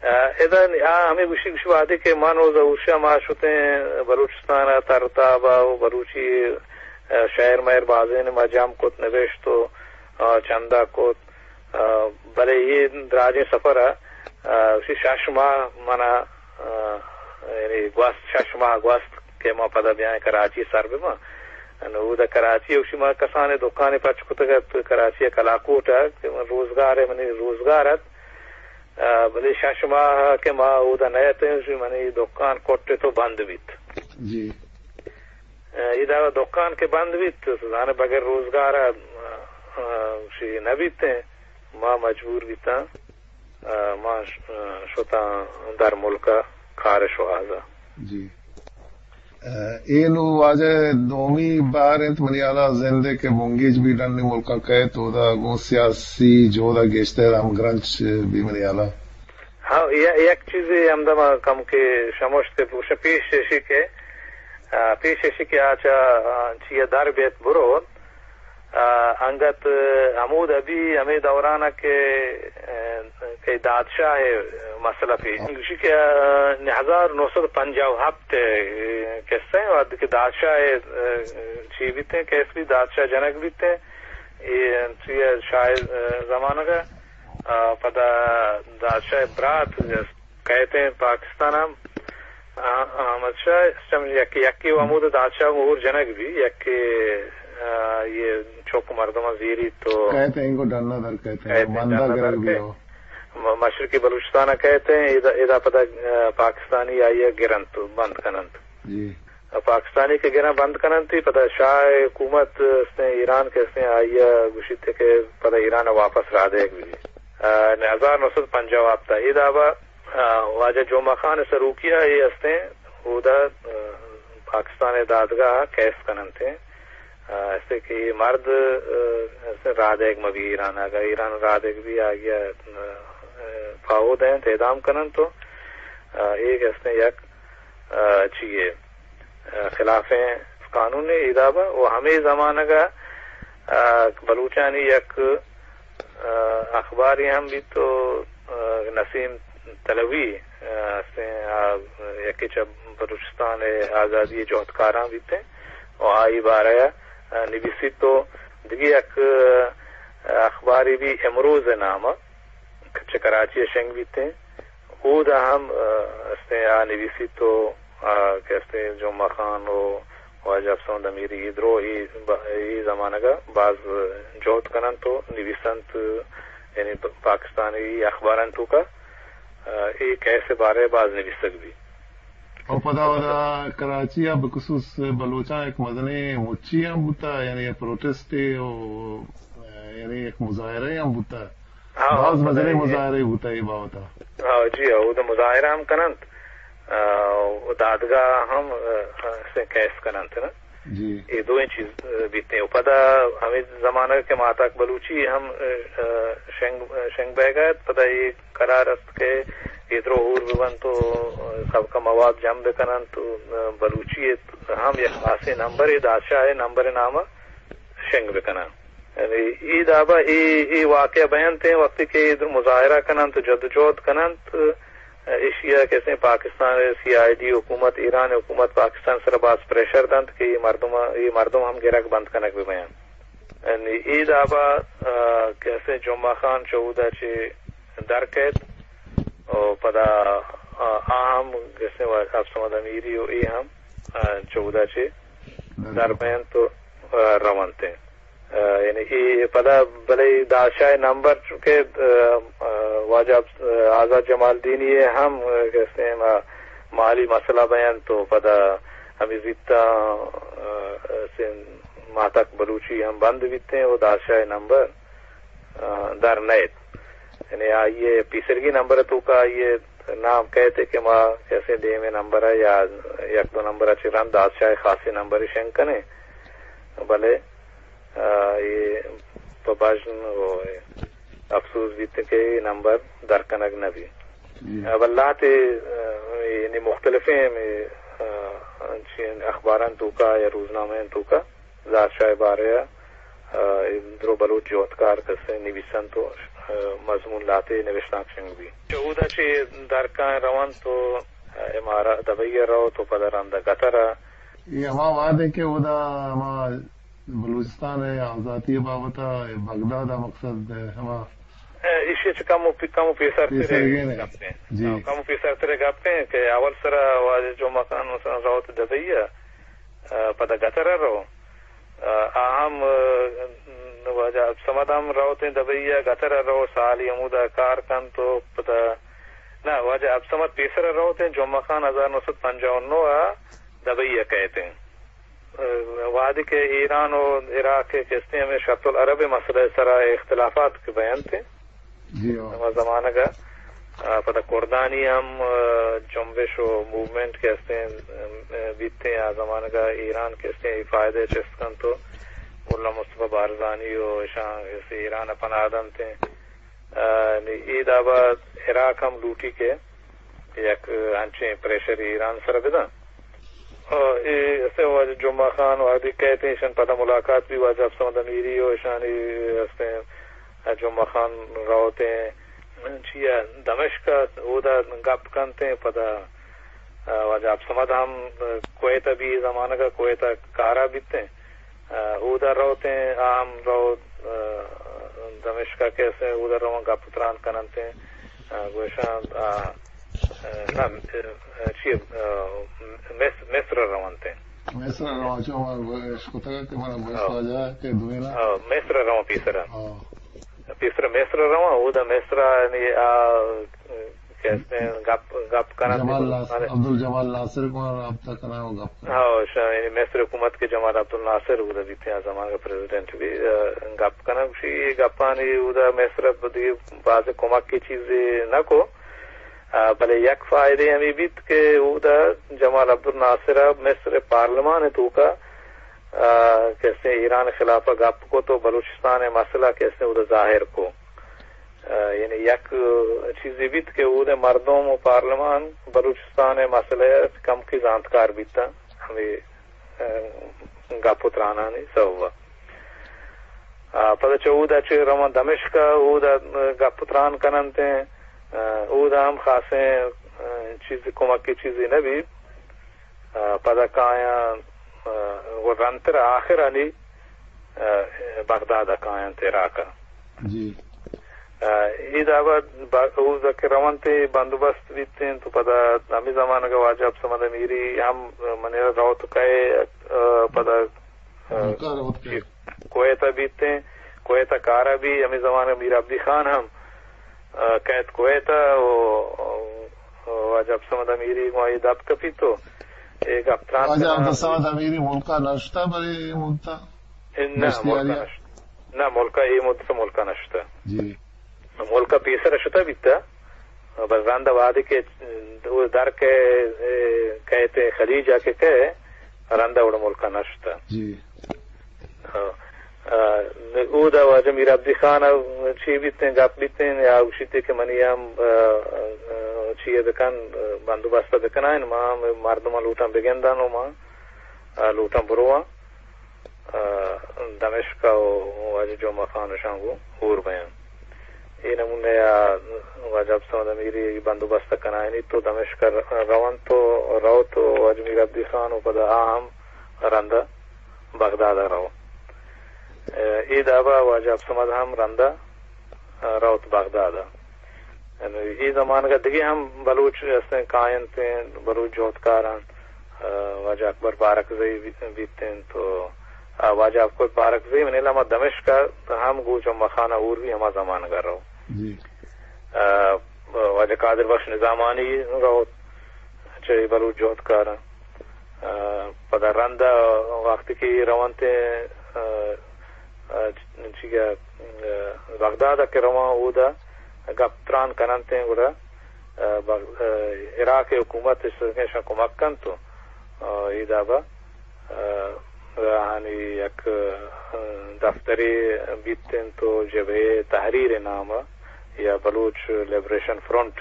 ادا نی-، آ ہمے گوشی، گوشی وہدے کہ من و ظہور شاہ ما شتیں بلوچستان ء ترتاب ء و بلوچی، ء، شعر مہر بازین ما جم کت، نبشت و، ء، چندہ کت، ء، بلے اے دراجیں سفر ء، ء، گوشی شش ماہ منا، ء، یعنی گوست، شش ماہ گوست کہ ما پدا بیائیں کراچی سر بباں۔ نو اود ء کراچی ء گوشی ما کسانیں دکانے پچ کتگ ات کراچی ء کلاکوٹ ء کہ من روزگار ء، منی روزگار ات۔ ء، بلے شش ماہ کہ ما اودا نہ اتیں، منی دکان کٹ تو بند بیت۔ جی۔ ء، ادا دکان کہ بند بیت، زانے بغیر روزگار ء، ء، شی نہ بیتیں، ما مجبور بیتاں، ء، ما ش-، ء، شتاں در ملک ء کار شوہاز ء۔ جی۔ ء، اے نوں واجہ دومی بار انت منی ہیالا زند ء کہ بنگیج بی ڈنی ملکاں کئیت، اودا گوں سیاسی جہد ء گیشتر ہمگرنچ بی منی ہیالا۔ ہاں، ی-، یک چیزے ہمدا ما کم کہ شموشت کہ پوش پیش ایشی کہ، ء، پیش ایشی کہ آ چہ، ء، چیا در بیت برو، ء، انگت، ء، ہمود ابی ہمے دوران ء کہ، ء، کہ دادشاہ ء مسئلہ پیش گوشی کہ، ء، ہزار نو سد پنجاہ و ہپت ء قصہ ء وہدے کہ دادشاہ ء، ء، چی بیتیں، کیس بی دادشاہ جنگ بیتیں، اے چی ء شاہ ء زمانگ ء، ء، پدا دادشاہ ء برات کئیتیں پاکستان ء، آ، احمد شاہ، سم-، یکے، یکے و ہمود دادشاہ مہور جنگ بی، یکے، آ، یہ چک مردم زیری تو کئیتیں، انگو ڈنا در کئیتیں، کئیتیں، بندہ ڈنا گرگ در بی کئے۔ ہو۔ م-، مشرقی بلوچستان ء کئیتیں، ادا، ادا پدا، آ، پاکستانی آئی ء گرنت، بند کننت۔ جی۔ پاکستانی کہ گراں بند کننت، پدا شاہ حکومت استیں، ایران کہ استیں، آئی ء گوشیت کہ پدا ایران ء واپس راہ دیگ بی۔ آ، ہزار نو سد پنجاہ و ہپت ء اے دابا، آ، واجہ جمعہ خان سروکی ء اے استیں، اودا، آ، پاکستان ء دادگاہ ء کیس کننت۔ آ، استیں کہ اے مرد، آ، استیں راہ دیگ مہ بی ایران ء، اگاں ایران راہ دیگ بی آئی ء، آ، پاہو دینت، اعدام کننت تو، آ، اے کہ استیں یک، آ، چیے، آ، خلافیں قانون ء اے دابا و ہمے زمانگ ء، آ، بلوچانی یک، آ، اخبارے ہم بیت و، آ، نسیم تلوی، آ، استیں، آ، یکے چہ بلوچستان ء آزادی ء جہدکاراں بیتیں و آئی بارہ ء، آ، نبیسیت و دگہ یک، آ، اخبارے بی امروز ء نام ء چہ کراچی ء شنگ بیتیں۔ اودا ہم، آ، استیں آ نویسیت و، آ، کہ استیں جمعہ خان و واجہ افسر محمد امیری اے درو اے ب-، اے زمانگ ء باز جہد کننت و نویسنت، یعنی پ-، پاکستانی اخباران توکا، آ، اے کیس ء بارہ ء باز نویسگ بی۔ او پدا اودا کراچی ء بخصوص بلوچاں یک مزنیں مچی ہم بوتا، یعنی پروٹسٹے و، یعنی یک مظاہرہ ہم بوتا۔ ہاں، باز ہاں، مزنیں مظاہرہ۔ مظاہرے بوتا اے بابت ء۔ ہاں، جی، ہاں، اود مظاہرہ ہم کننت، آ، و دادگاہ ہم، آ، سے کیس کننت نا۔ جی۔ اے دوئیں چیز، آ، بیتیں۔ و پدا ہمیں زمانہ کہ ماتاک بلوچی ہم، آ، شنگ، شنگ بہ گئے، پدا اے قرار است کہ اے درو ہور ببنت و سبک مواد جم بکننت و بلوچی ہم یک خاصیں نمبرے دادشاہ نمبر نام شنگ بکنن۔ یعنی اے دابا اے، اے واقعہ بینت ہیں وقتی کہ اے مظاہرہ کننت و جد و جہد کننت، ایشیا کسیں پاکستان سی آئی ڈی حکومت، ایران حکومت پاکستان سر باز پریشر دنت کہ اے مردم، اے مردم ہم گرگ بند کنگ ببین۔ یعنی اے دابا، آ، کسیں جمعہ خان چہ اودا چہ در کئیت و پدا، آ، آ ہم کسیں وا-، عبدالصمد امیری و اے ہم، آ، چہ اودا چہ در بینت و، آ، رونت انت۔ آ، یعنی اے پدا بلے دادشاہ نمبر چونکہ، آ، آ، واجہ، آ، آزاد جمالدینی ہم، آ، کسیں ما-، مالی مسئلہ بینت و پدا ہمیں زیتا، آ، سن ماتک بلوچی ہم بند بیتیں و دادشاہ نمبر، آ، در نیت۔ یعنی آئی ء پیسرگی نمبر ء توکا آئی ء نام کئیت کہ ما کسے دیمے نمبر ء یا یک دو نمبر ء چہ رند دادشاہ ء خاصیں نمبرے شنگ کنیں، بلے، آ، اے پہ بژن و افسوس بیت کہ اے نمبر در کنگ نہ بیت۔ جی۔ اب اللہ تے، آ، یعنی مختلفیں ہمے، آ، انچیں اخباران توکا یا روزنامہ توکا دادشاہ بارے ء، آ، درو بلوچ جہدکار کسے نویسنت و مضمون لاتے نوشتانک شنگ بی۔ چہ اودا چہ درکاں رونت و امارات دبئی ء رو تو پدا رند گتر ء۔ اے ہما وہد انت کہ اودا ہما بلوچستان ء آزاتی ء بابت ء بغداد ء مقصد ہما ایشی چہ کم و پی-، کم و پیسر ترے پیسرگین ء۔ گپ انت۔ جی۔ ہاں، کم و پیسر ترے گپ انت کہ اول سرا واجہ جمعہ خان مثلاً روت دبئی ء، پدا گتر ء رو۔ آ ہم، واجہ عبدالصمد ہم روتیں دبئی ء، گتر ء رو، سالی ہمودا کار کنت و پدا، نہ، واجہ عبدالصمد پیسر ء روتیں، جمعہ خان ہزار نو سد پنجاہ و نو ء دبئی ء کئیتیں۔ وہدے کہ ایران و عراق ء کہ استیں ہمے شط العرب ء مسئلہ ء سرا اختلافات کہ بینت، جی ہاں۔ ہما زمانگ ء، آ، پدا کردانی ہم، آ، جنبش و موومنٹ کہ استیں، آ، بیتیں، آ زمانگ ء ایران کہ استیں، ای فائدہ چست کنت و ملا مصطفی بارزانی و اشاں ایران ء پناہ دنتیں۔ آ، نی اے دابا عراق ہم لوٹی کہ یک انچیں پریشر ایران سر بدن۔ آ، اے اسے واجہ جمعہ خان وہدی کئیت، ایشان پدا ملاقات بی واجہ عبدالصمد امیری و ایشانی استیں جمعہ خان روتیں چیا دمشق ء اودا گپ کنتیں، پدا، آ، واجہ عبدالصمد ہم کویت ء بی زمانگ ء کویت ء کارا بیتیں۔ آ، اودا روتیں، آ ہم روت، آ، دمشق ء کہ استیں اودا رواں گپ تران کننتیں۔ آ، گوشاں، آ، آ، نہ، آ، چی، آ، مصر، مصر ء رونتیں۔ مصر ء رواں چو ما اشکتگ کہ منا بس ہاں۔ واجہ کہ دوینا۔ ہاں، مصر ء رواں پیسرا۔ ہاں۔ پیسرا مصر ء رواں، اودا مصر ء نی آ، کہ استیں گپ، گپ کننت جمال ناصر، عبدالجمال ناصر کو رابطہ کناں و گپ کناں۔ ہاں، شا-، یعنی مصر حکومت کہ جمال عبدالناصر اودا بیتیں، آ زمانگ ء پریزیڈنٹ بی، آ، گپ کناں، گوشی اے گپانی اودا مصر ء دیگہ باز کمک کی چیزے نہ کو، آ، بلے یک فائدے ہمے بیت کہ اودا جمال عبدالناصر ء مصر پارلیمان ء توکا، آ، کہ استیں ایران خلاف ء گپ کو تو بلوچستان ء مسئلہ کہ استیں اودا ظاہر کو۔ آ، یعنی یک چیزے بیت کہ اود ء مردم و پارلیمان بلوچستان ء مسئلہ ء کمکے زانتکار بیتاں ہمے، آ، گپ و ترانانی سبب ء۔ آ، پدا چہ اود ء چہ رواں دمشق ء اود ء گپ و تران کننت، آ، اود ء ہم خاصیں، آ، چیز کمکی چیزے نہ بیت۔ آ، پدا کایاں، آ، و رندتر آخرانی، آ، بغداد ء کاینت عراق ء۔ جی۔ آ، اے دابا با-، اوز کہ رونت بندوبست بیتیں تو پدا ہمے زمانگ ء واجہ عبدالصمد امیری ہم منی را روت کئے، آ، پدا، آ، کویت ء بیتیں، کویت ء کار ء بی، ہمے زمانگ ء میر عبدی خان ہم، آ، کئیت کویت ء و، و واجہ عبدالصمد امیری گوں آئی دپ کپیت و اے گپ تران واجہ کناں۔ عبدالصمد امیری ملک ء نشتہ بلے اے مدت ء نہ، ملک ء نشت-، نہ، ملک ء اے مدت ء ملک ء نشتہ۔ جی۔ ملک ء پیسر ء شتہ بیتہ، بس رند ء وہدے کہ او در کہ، اے، کئیت خلیج ء کہ کئے، رند ء وڑ ملک ء نشتہ۔ جی۔ آ، آ، اودا واجہ میر عبدی خان ء چی بیتیں، گپ بیتیں، یا گوشیت کہ منی ہم، آ، آ، چی ء بکن، آ، بندوبست ء بکنائین، ما ہم مردماں لوٹاں بگنداں و ما، آ، لوٹاں برواں، آ، دمشق ء و واجہ جمعہ خان اشاں گوں ہور بیاں۔ اے نمونہ ء واجہ عبدالصمد امیری بندوبست ء کنائینیت و دمشق ء رونت و روت و واجہ میر عبدی خان و پدا آ ہم رند ء بغداد ء رو۔ اے دابا واجہ عبدالصمد ہم رند ء روت بغداد ء۔ یعنی اے زمانگ ء دگہ ہم بلوچ استیں کاینت، بلوچ جہدکاراں، واجہ اکبر بارکزئی بیت انت و آ، واجہ اکبر بارکزئی منی لما دمشق ء ہم گوں جمعہ خان ء ہور بی ہما زمانگ ء رو۔ جی۔ آ، واجہ قادر بخش نظامانی رو چہ بلوچ جہدکاراں۔ آ، پدا رند ء وقتی کہ اے رونت، آ، آ، چی کہ، آ، بغداد ء کہ رواں اودا گپ تران کننت گڑا، آ، بغ-، آ، عراق ء حکومت اش کمک کنت و، آ، اے دابا، آ، آہانی یک، آ، دفترے بیت انت و جبہہ تحریر نام ء یا بلوچ لبریشن فرنٹ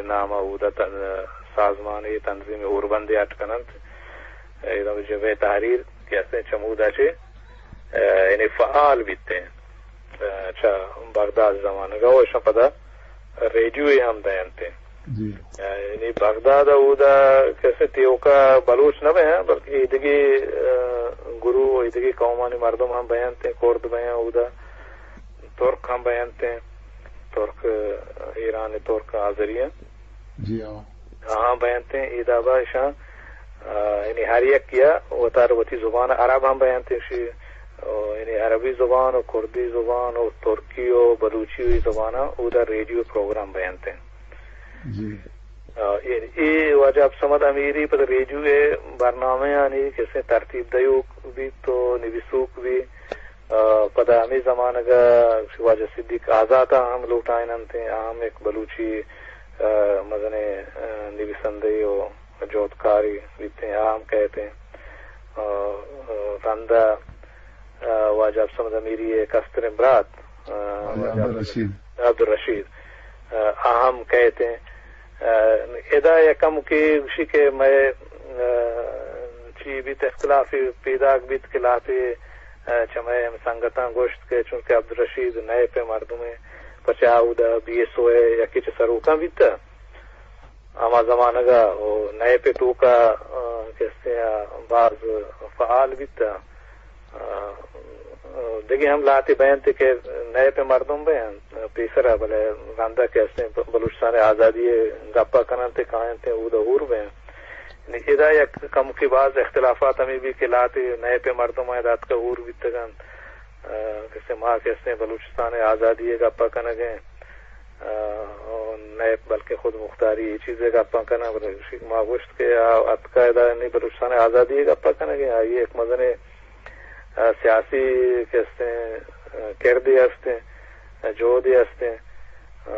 نام ء اودا تن-، سازمانے تنظیم ہوربندے اٹ کننت۔ اے دابا جبہہ تحریر کہ استیں چمودا چہ، آ، یعنی فعال بیت انت۔ چہ بغداد زمانگ ءَ، و اشاں پدا ریڈیو ءَ ہم دینت۔ جی۔ یعنی بغداد ءَ اودا کسے تیوکا بلوچ نہ بیاں، بلکہ ایدگی، آ، گروہ، ایدگی قومانی مردم ہم بینت، کرد بیاں اودا، ترک ہم بینت، ترک، ایران ترک آذری ہیں۔ جی ہاں۔ آہاں بینت ایں، اے دابا اشاں، آ، یعنی ہر یکیا وتارا وتی زبان، عرب ہم بینت اشی، آ، یعنی عربی زبان و کردی زبان و ترکی و بلوچی و اے زباناں اودا ریڈیو پروگرام بینت ایں۔ جی۔ آ، یعنی اے واجہ عبدالصمد امیری پدا ریڈیو ءِ برنامہ آنی کسے ترتیب دیوک بیت و نویسوک بیت۔ آ، پدا ہمے زمانگ ءَ واجہ صدیق آزات ءَ ہم لوٹائیننت، آ ہم یک بلوچی، آ، مزنیں، آ، نویسندہ و جہدکارے بیت، آ ہم کئیت۔ آ، آ، رند ءَ، آ، واجہ عبدالصمد امیری ءِ کستریں برات، آ، واجہ واجہ عبدالرشید۔ عبدالرشید، آ، آ ہم کئیت۔ آ، ادا یک کمکے گوشی کہ مئے، آ، چی بیت، اختلافے پیداک بیت کہ لہتے، آ، چہ مئے ہم سنگتاں گوشت کہ چونکہ عبدالرشید نیپ ءِ مردمے، پرچا اودا بی ایس او ءِ یکے چہ سروکاں بیتہ۔ ہما زمانگ ءَ او نیپ ءِ توکا، آ، کسے ءَ باز فعال بیتہ۔ آ، دگہ ہم لہتے بینت کہ نیپ ءِ مردم بینت پیسرا، بلے رندا کہ استیں بلوچستان ءِ آزادی ءِ گپا کننت، کاینت اودا ہور بینت۔ یعنی ادا یک کمکے باز اختلافات ہمے بیت کہ لہتے نیپ ءِ مردم ادا اتکا ہور بیتگ انت، آ، کہ استیں ما کہ استیں بلوچستان ءِ آزادی ءِ گپا کنگ ءَ ایں، آ، نیپ بلکہ خود مختاری اے چیز ءِ گپا کناں، بلے ما گوشت کہ آ اتکا ادا نی بلوچستان ءِ آزادی ءِ گپا کنگ ءَ ایں، آئی ءِ یک مزنیں، آ، سیاسی کہ استیں، آ، کردے استیں، آ، جہدے استیں۔ آ،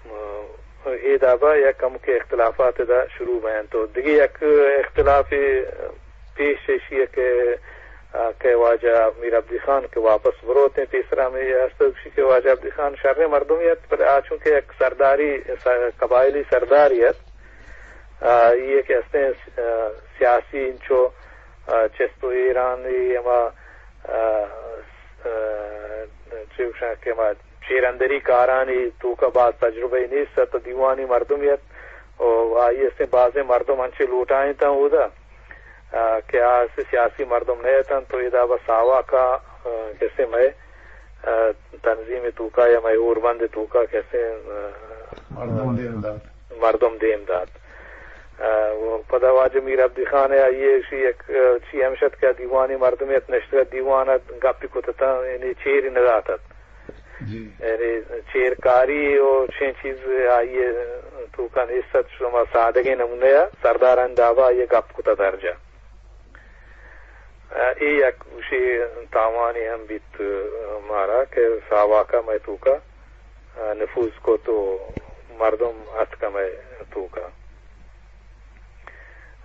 آ، اے دابا یک کمکے اختلافات ادا شروع بینت۔ تو دگہ یک اختلافے پیش ایشی ءَ کہ، آ، کہ واجہ میر عبدی خان کہ واپس بروت ایں، پیسرا ہمے است گوشی کہ واجہ عبدی خان شریں مردمے ات، بلے آ چونکہ یک سرداری، س-، قبائلی سردارے ات، آ، آئی ءَ کہ استیں، آ، سیاسی انچو، آ، چست و ایرانی ہما، آ، آ، چے گوشاں کہ ہما چیرندری کارانی توکا باز تجربہ نیست ات، دیوانی مردمے ات، و آئی استیں بازیں مردم انچیں لوٹائینتاں اودا، آ، کہ آ استیں سیاسی مردم نہ اتنت، تو ادا بس ساواکا، آ، کسے مئے، آ، تنظیم توکا یا مئے ہوربند توکا کسے، آ، مردم دیم دات۔ مردم دیم دات۔ آ، و پدا واجہ میر عبدی خان ءَ آئی ءَ ایشی یک، آ، چی ہمش ات کہ دیوانی مردمے ات، نشتگ ات دیوان ءَ گپی کت ات، یعنی چیری نہ دات ات۔ جی۔ یعنی چیرکاری و چین چیز آئی ءِ توکا نیست ات، شما سادگیں نمونہ ءَ سردارانی دابا آئی ءَ گپ کت ات ہر جا۔ آ، اے یک گوشے تاوانے ہم بیت، آ، مارا کہ ساواکا مئے توکا، آ، نفوذ کت و مردم اتک مئے توکا۔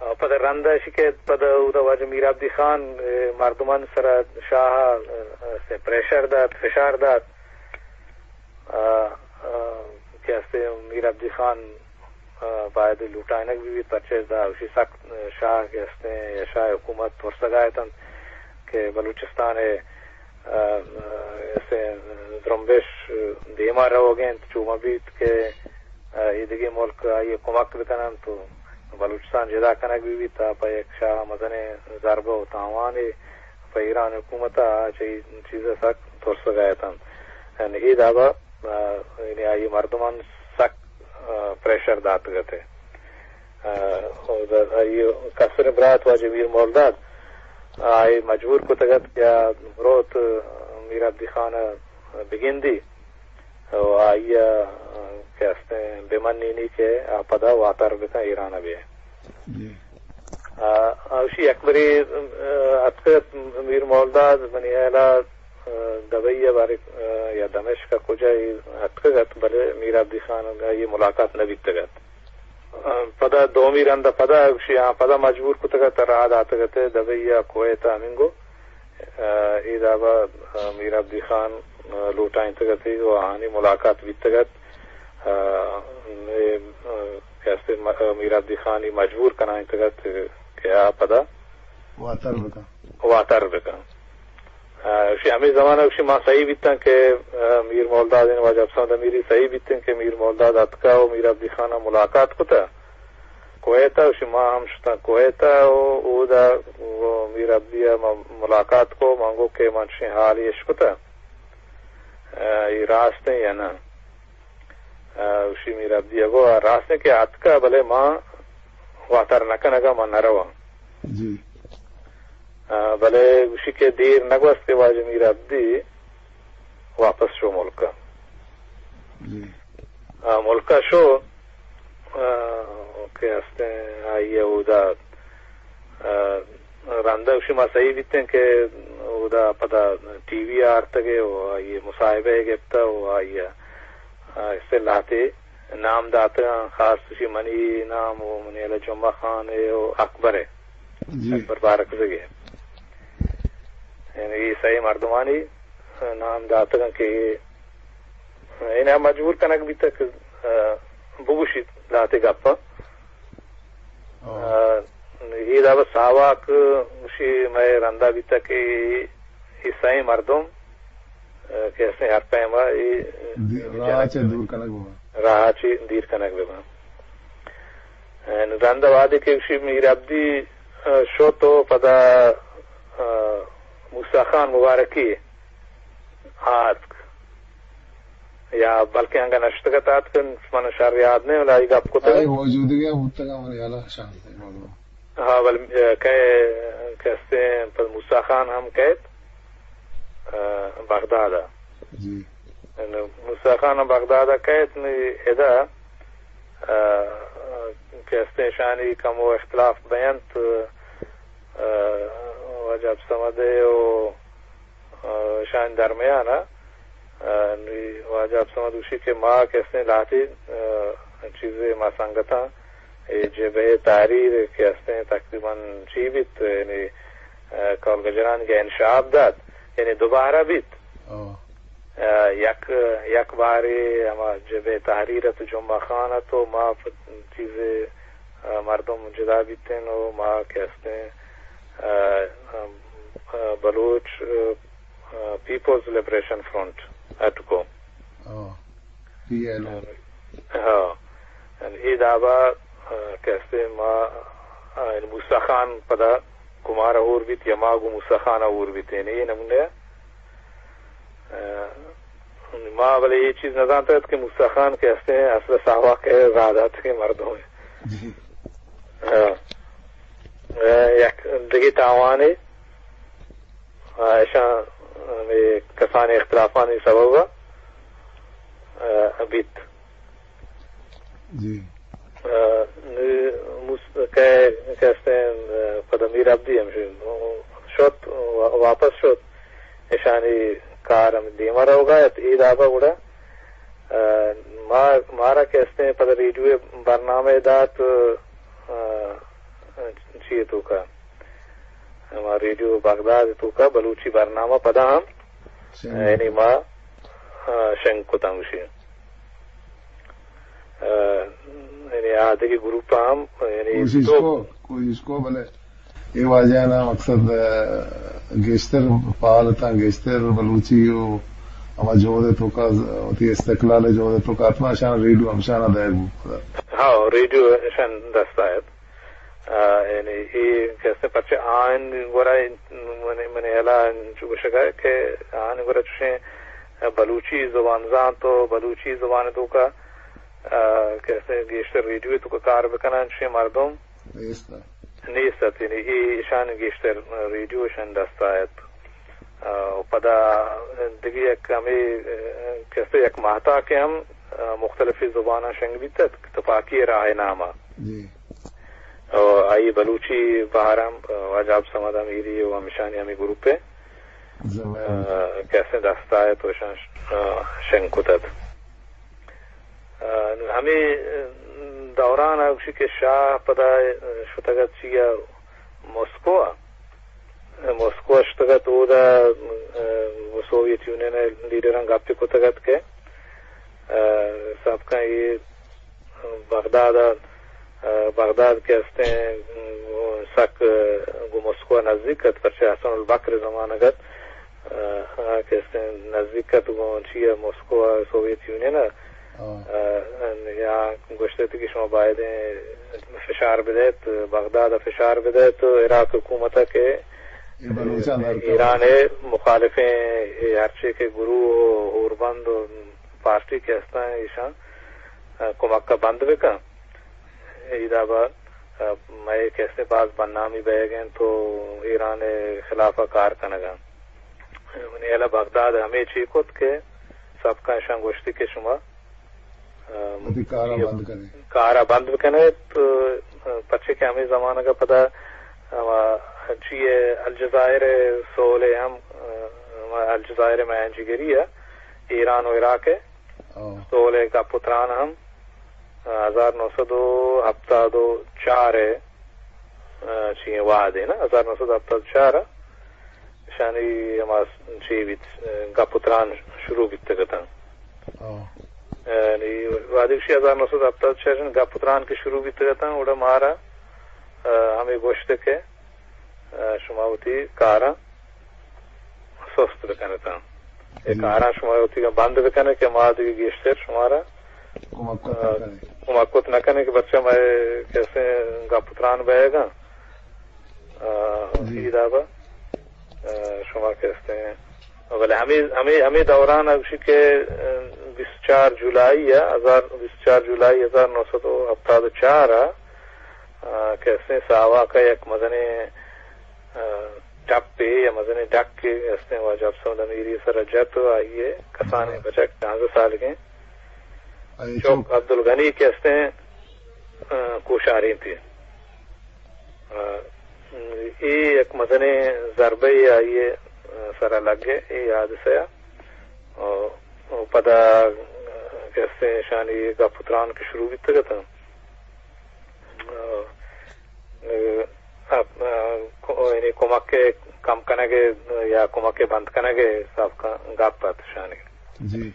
آ، پدا رند ءَ ایشی کہ پدا اودا واجہ میر عبدی خان، آ، مردمان سرا شاہ، آ، آ، پریشر دات، فشار دات۔ آ، آ، کہ استیں میر عبدی خان، آ، باید لوٹائینگ بہ بیت، پرچہ دا اشی سک شاہ کہ استیں یا شاہ حکومت ترسگا اتنت کہ بلوچستان ءِ، آ، آ، استیں زرمبش دیما روگ ءَ انت، چو مہ بیت کہ، آ، ایدگہ ملک آئی ءَ کمک بکننت و بلوچستان جدا کنگ بہ بیت، تا پہ یک شاہ مزنیں ضربہ و تاوانے پہ ایران حکومت ءَ چہ اے چیز ءَ سک ترسگ ءَ اتنت۔ یعنی اے دابا، آ، یعنی آئی مردمان سک، آ، پریشر داتگ ات۔ آ، و آئی کسر برات واجہ میر مولداد آئی مجبور کتگ ات کہ آ بروت میر عبدی خان ءَ بگندی و آئی ءَ کہ استیں بہ منینی کہ آ پدا واتر بکن ایران ءَ بہ۔ جی۔ آ، آ، اشی یک برے، آ، اتکت میر مولداد منی ہیالا، آ، دبئی ءَ بارے، آ، یا دمشق ءَ کجا اے اتکگ ات، بلے میر عبدی خان ءَ آئی ملاقات نہ بیتگ ات۔ آ، پدا دومی رند ءَ پدا اشی، آ، پدا مجبور کتگ ات، راہ داتگ ات دبئی ءَ کویت ءَ ہمینگو۔ آ، اے دابا، آ، میر عبدی خان، آ، لوٹائینتگ ات و آہانی ملاقات بیتگ ات۔ آ، اے، آ، کہ استیں م-، آ، میر عبدی خان ءَ مجبور کنائینتگ ات کہ آ پدا واتر بکن۔ واتر بکن۔ آ، اشی ہمے زمانہ اشی ما سہی بیتن کہ، آ، میر مولداد، یعنی واجہ حبس احمد امیری سہی بیتن کہ میر مولداد اتکا و میر عبدی خان ملاقات کتا کویتا، اشی ما ہم شتن کویتا و اودا و میر عبدی ما ملاقات کو، من گو کہ من چشیں حالی اش کتا، آ، ای راست ہیں یا نہ؟ آ، اشی میر عبدی گو، آ، راست ہیں کہ اتکا، بلے ما واتر نکنگا، ما نرواں۔ جی۔ آ، بلے گوشی کہ دیر نگوست کہ واجہ میر عبدی واپس شو ملکا۔ جی۔ آ، ملکا شو، آ، کہ ہستیں آئی اودا، آ، رندا گوشی ما سہی بیتیں کہ اودا پدا ٹی وی آرتگے و آئی مصاحبہ گپتا و آئی، آ، اصطلاحاتے نام داتگاں، خاص اشی منی نام و منی علی جمعہ خان ء و اکبر ء، جی۔ اکبر بارکزئی ء۔ یعنی اے سئے مردمانی نام داتگاں کہ اے، یعنی مجبور کنگ بیتگ کہ، آ، بگوشیت لہتے گپاں۔ آ۔ آ، اے دابا ساواک گوشی مئے رندا بیتگ کہ اے سئیں مردم، آ، کہ ہستیں ہر پیما اے دی-، راہ چہ دور کنگ بباں۔ راہ چہ دیر کنگ بباں۔ آ، رندا وہدے کہ گوشی میر عبدی، آ، شت و پدا، آ، موسی خان مبارکی آتک۔ یا بلکیں انگا نشتگ ات آتک، من شر یاد نہ، ولا آئی گپ کتگ۔ آئی موجودگی ہم بوتگ، من یلا شان سے موضوع۔ ہاں، بل، اے، کئے، کستے، پد موسی خان ہم کئیت، اے، بغداد ء۔ جی۔ موسی خان ہم بغداد ء کئیت، نی ادا، اے، کستے شانی کمو اختلاف بینت، اے، واجہ عبدالصمد و آ، اشانی درمیان ء، آ، نی واجہ عبدالصمد گوشی کہ ما کہ استیں لہتے، آ، چیزے ما سنگتاں اے جبہہ تحریر کہ استیں تقریباً چی بیت، یعنی، آ، کول گجران کہ انشعاب دات، یعنی دوبارہ بیت۔ آ، یک، یک بارے ہما جبہہ تحریر ات، جمعہ خان ات و ما پ-، چیزے، آ، مردم جدا بیتیں و ما کہ استیں، آ، آ، بلوچ، آ، پیپلز لبریشن فرنٹ، اٹکو۔ آ، پی ایل او۔ ہاں۔ اے دابا، آ، کہ استیں ما، آ، موسی خان پدا گوں مارا ہور بیت یا ما گوں موسی خان ء ہور بیت، یعنی اے نمونے ء، آ، ما بلے اے چیز نہ زانت ات کہ موسی خان کہ استیں اصل ساواک ء راہ داتگیں مردم ء۔ جی۔ آ، آ، یک دگہ تاوانے، آ، اشاں ہمے کسانیں اختلافانی سبب ء، آ، بیت۔ جی۔ آ، نی موس-، کہ، کہ استیں، آ، پدا میر عبدی ہم شت، وا-، واپس شت، اشانی کار ہم دیما روگا ات، اے دابا گڑا، آ، ما، مارا کہ استیں پدا ریڈیو برنامہ دات، آ، چی توکا؟ ہما ریڈیو بغداد توکا بلوچی برنامہ پدا ہم، شنگ۔ یعنی ما، آ، شنگ کتاں گوشی۔ آ، یعنی آ دگہ گروپ ہم، یعنی کوشش تو کو، کوشش کو، بلے اے واجہ نا مقصد، آ، گیشتر فعال اتاں، گیشتر بلوچی و ہما جہد توکا، وتی استقلال جہد توکا اتما، شان ریڈیو ہمشانا دئیگ بوت۔ ہاں، ریڈیو شان دست آیت۔ آ، یعنی اے کسے پرچہ آئین گورا منی، منی ہیالا انچو گوشگا کہ آئین گورا چوشیں بلوچی زبان زانت و بلوچی زبان توکا، آ، کسے گیشتر ریڈیو توکا کار بکنن چوشیں مردم نیست۔ نیست ات، یعنی اے ایشان گیشتر ریڈیو ایشان دست آیت۔ آ، و پدا دگہ یک ہمے، آ، کسے یک ماہتاکے ہم، آ، مختلفیں زباناں شنگ بیتت، تپاکی راہ ناما۔ جی۔ و آئی بلوچی بہر ہم، آ، واجہ عبدالصمد امیری و ہمشانی ہمے گروپ ء، زبردست۔ آ، کسے دست آیت و ایشان، آ، شنگ کتت۔ آ، ہمے دوران ء گوشی کہ شاہ پدا شتگ ات چیا مسکو ء، مسکو ء شتگ ات، اودا، آ، سوویت یونین ء لیڈراں گپے کتگ ات کہ، آ، سابقہ اے بغداد ء، آ، بغداد کہ استیں، سک گوں مسکو ء نزیک ات، پرچہ حسن البکر زمانگ ات، آ، آ، کہ استیں نزدیک ات گوں چی ءَ، مسکو ءَ، سوویت یونین ءَ۔ آ، یا گوشت کہ شما باید فشار بدئیت، بغداد ءَ فشار بدئیت، عراق حکومت ءَ کہ ایران ءِ مخالفیں اے ہرچی کہ گروہ و ہوربند و پارٹی کہ ہستاں، ایشاں، آ، کمک ءَ بند بکن۔ اے دابا، آ، مئے کہ استیں باز بدنامی بئیگ انت و ایران ءِ خلاف ءَ کار کنگ ءَ انت۔ منی ہیال ءَ بغداد ہمے چی کت کہ سبکاں ایشاں گوشتی کہ شما، آ، وتی کار ءَ بند کن ات۔ کار ءَ بند بکن ات، آ، پرچے کہ ہمے زمانگ ءَ پدا، آ، چی ءَ الجزائر ءِ سول ءَ ہم، آ، الجزائر ءِ میانجیگری ءَ ایران و عراق ءِ سول ءِ گپ و تران ہم، آ، ہزار نو سد و ہپتاد و چار ءِ، آ، چی ءَ وہد ءَ نا، ہزار نو سد ہپتاد و چار ءَ اشانی ہما چی بیت، آ، گپ و تران شروع بیتگ اتاں۔ آ، یعنی وہدے گوشی ہزار نو سد ہپتاد و چار ءَ گپ و تران کہ شروع بیتگ اتاں، اوڑا مارا، آ، ہمے گوشت کہ، آ، شما وتی کاراں سست بکن اتاں۔ اے کاراں شما وتی بند بکن ات کہ ما دگہ گیشتر شمارا کمک کت نہ کنیں۔ کمک کت نہ کنیں کہ پرچا مئے کہ استیں گپ و تران بئیگ ءَ انت۔ آ، اے دابا، آ، شما کہ استیں، بلے ہمے، ہمے، ہمے دوران ءَ گوشی کہ، آ، بیست و چار جولائی ءَ، ہزار، بیست و چار جولائی ہزار نو سد و ہپتاد و چار ءَ، آ، کہ استیں ساواک ءَ یک مزنیں، آ، ٹپے یا مزنیں ڈکے استیں واجہ افسر امیری ءِ سر ءَ جت و آئی ءِ کسانیں بچک، شانزدہ سالگیں چک عبدالغنی کہ استیں، آ، کوشارینتی۔ آ، اے یک مزنیں ضربے آئی ءِ، آ، سر ءَ لگ ءَ اے حادثہ ءَ۔ آ، و پدا، آ، کہ استیں اشانی گپ و تران کہ شروع بیتگ اتاں۔ آ، آ، آ، کو-، یعنی کمک ءِ کم کنگ ءِ یا کمک ءِ بند کنگ ءِ سبکاں گپ ات اشانی۔ جی۔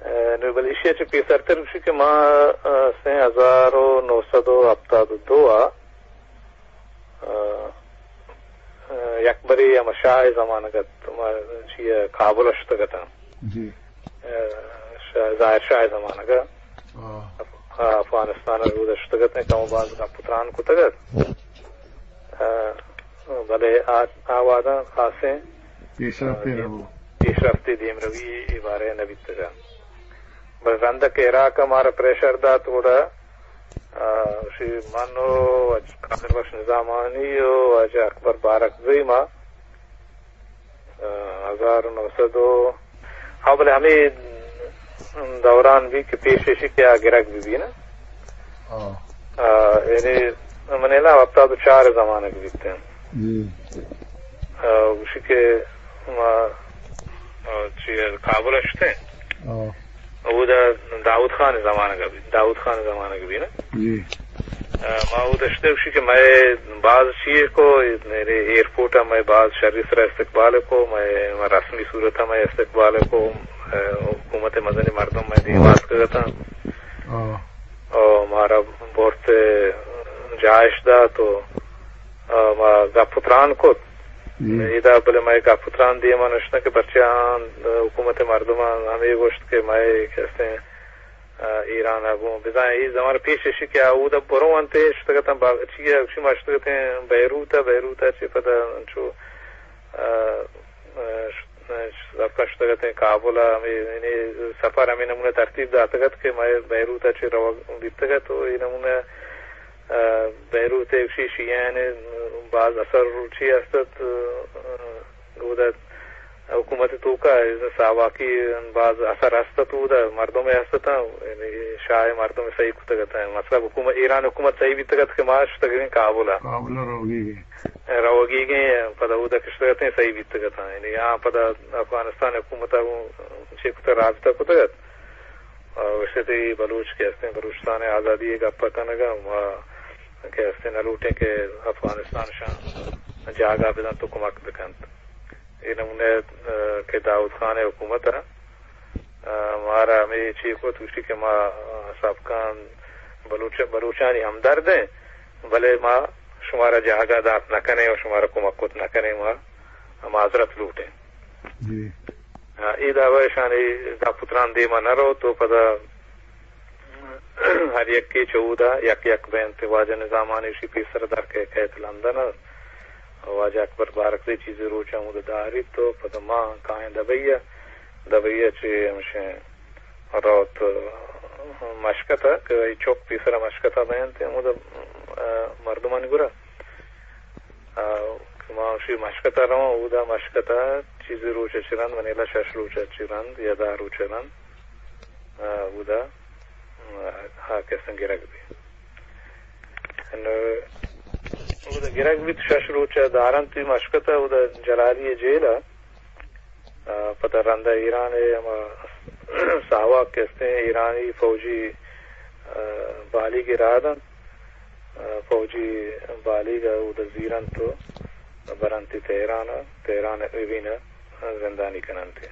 آ، نوں بلے ایشی ءَ چہ پیسرتر گوشی کہ ما، آ، سن ہزار و نو سد و ہپتاد و دو ءَ، آ، آ، یکبرے ہما شاہ ءِ زمانگ ءَ ما چی ءَ کابل ءَ شتگ اتاں۔ جی۔ آ، شاہ، ظاہر شاہ ءِ زمانگ ءَ۔ آ۔ آ، افغانستان ءَ رود ءَ شتگ اتیں، کم و باز گپ و تران کتگ ات۔ آ، بلے آ، آ وہداں خاصیں پیشرفتے آ، نہ بو۔ پیشرفتے دیمروی اے بارہ ءَ نہ بیتگ ات۔ بلے رند ءَ کہ عراق ءَ مارا پریشر دات گڑا، آ، شی من و واجہ قادر بخش نظامانی و واجہ اکبر بارکزئی ما آ، ہزار و نو سد و، ہاں، بلے ہمے دوران بی کہ پیش ایشی کہ آ گرگ بی بی نا۔ ہاں۔ آ، یعنی من نا ہپتاد و چار زمانگ بیت۔ جی۔ آ، گوشی کہ ما، آ، چی، کابل ءَ شتیں۔ ہاں۔ اودا داؤد خان ءِ زمانگ ءَ بیت، داؤد خان ءِ زمانگ ءَ بیت نا؟ جی۔ آ، ما اودا شتیں، گوشی کہ مئے باز چیے کو، میرے ایئرپورٹ ءَ مئے باز شری سرا استقبال کو، مئے، مئے رسمی صورت ءَ مئے استقبال کو، آ، حکومت ءِ مزنیں مردم مئے دیما اتکگ اتاں۔ ہاں۔ او مارا برت جاہ اش دات و، آ، ما گپ و تران کت۔ جی۔ ادا بلے مئے گپ و تران دیما نشتہ کہ پرچہ آں حکومت ءِ مردماں ہمے گوشت کہ مئے کہ استیں، آ، ایران ءَ گوں بزاں اے زمانگ پیش ایشی کہ آ اودا برو انت، شتگ اتاں با-، چی ءَ گوشی ما شتگ اتیں بیروت ءَ، بیروت ءَ چہ پدا انچو، آ، آ، ش-، آ، سفر شتگ اتیں کابل ءَ، ہمے، یعنی سفر ہمے نمونہ ترتیب داتگ ات کہ مئے بیروت ءَ چہ روگ بیتگ ات و اے نمونہ، آ، بیروت ءَ گوشی شیعیان ءِ باز اثر چی است ات، آ، اودا حکومت ءِ توکا ساواکی باز اثر ہست ات، اودا مردم ہست اتاں، یعنی شاہ ءِ مردم صحیح کتگ اتاں۔ مطلب حکومت، ایران حکومت صحیح بیتگ ات کہ ما شتگیں کابل ءَ۔ کابل ءَ روگی گئے۔ روگی گئے، پدا اودا کہ شتگ اتیں صحیح بیتگ اتاں۔ یعنی آ پدا افغانستان حکومت ءَ گوں چے کتگ، رابطہ کتگ ات۔ آ، گوشت ئے بلوچ کہ ہستیں بلوچستان ءِ آزادی ءِ گپ ءَ کنگ ءَ، ما کہ ہستیں نہ لوٹیں کہ افغانستان شاں جاگہ بدنت و کمک بکنت۔ اے نمونہ، آ، کہ داؤد خان ءِ حکومت ءَ، آ، مارا ہمے چی کت، گوشتی کہ ما، آ، سابقاً بلوچ، بلوچانی ہمدرد ایں، بلے ما شمارا جاگہ دات نہ کنیں و شمارا کمک کت نہ کنیں، ما معذرت لوٹیں۔ جی۔ آ، اے دعوی اشانی داپتران دیما نہ رو تو پدا ہر یکے چہ اودا یک یک بینت۔ واجہ نظام خان اشی پیسر در کئیت لندن ء۔ واجہ اکبر بارکزئی چیزے روچ ہمودا داریت تو پدا ما کائیں دبئی ء۔ دبئی ء چہ ہمشیں روت مشکت ء کہ اے چک پیسر مشکت ء بینت ہمودا، آ، مردمانی گورا۔ آ، کہ ما اشی مشکت ء رواں، اودا مشکت ء چیزے روچ ء چہ رند، منی ہیالا شش روچ ء چہ رند یا دہ روچ ء رند، آ، اودا، آ، آ کسن گرگ بی۔ نو، اودا گرگ بیت، شش روچ ء دارنت مشکت ء، اودا جلالی ء جیل ء۔ آ، پدا رند ء ایران ء ہما ساواک کہ استیں ایرانی فوجی، آ، بالیگ ء راہ دنت۔ آ، فوجی بالیگ ء اود ء زیرنت و برنتی تہران ء، تہران ء اوین ء زندانی کننتی۔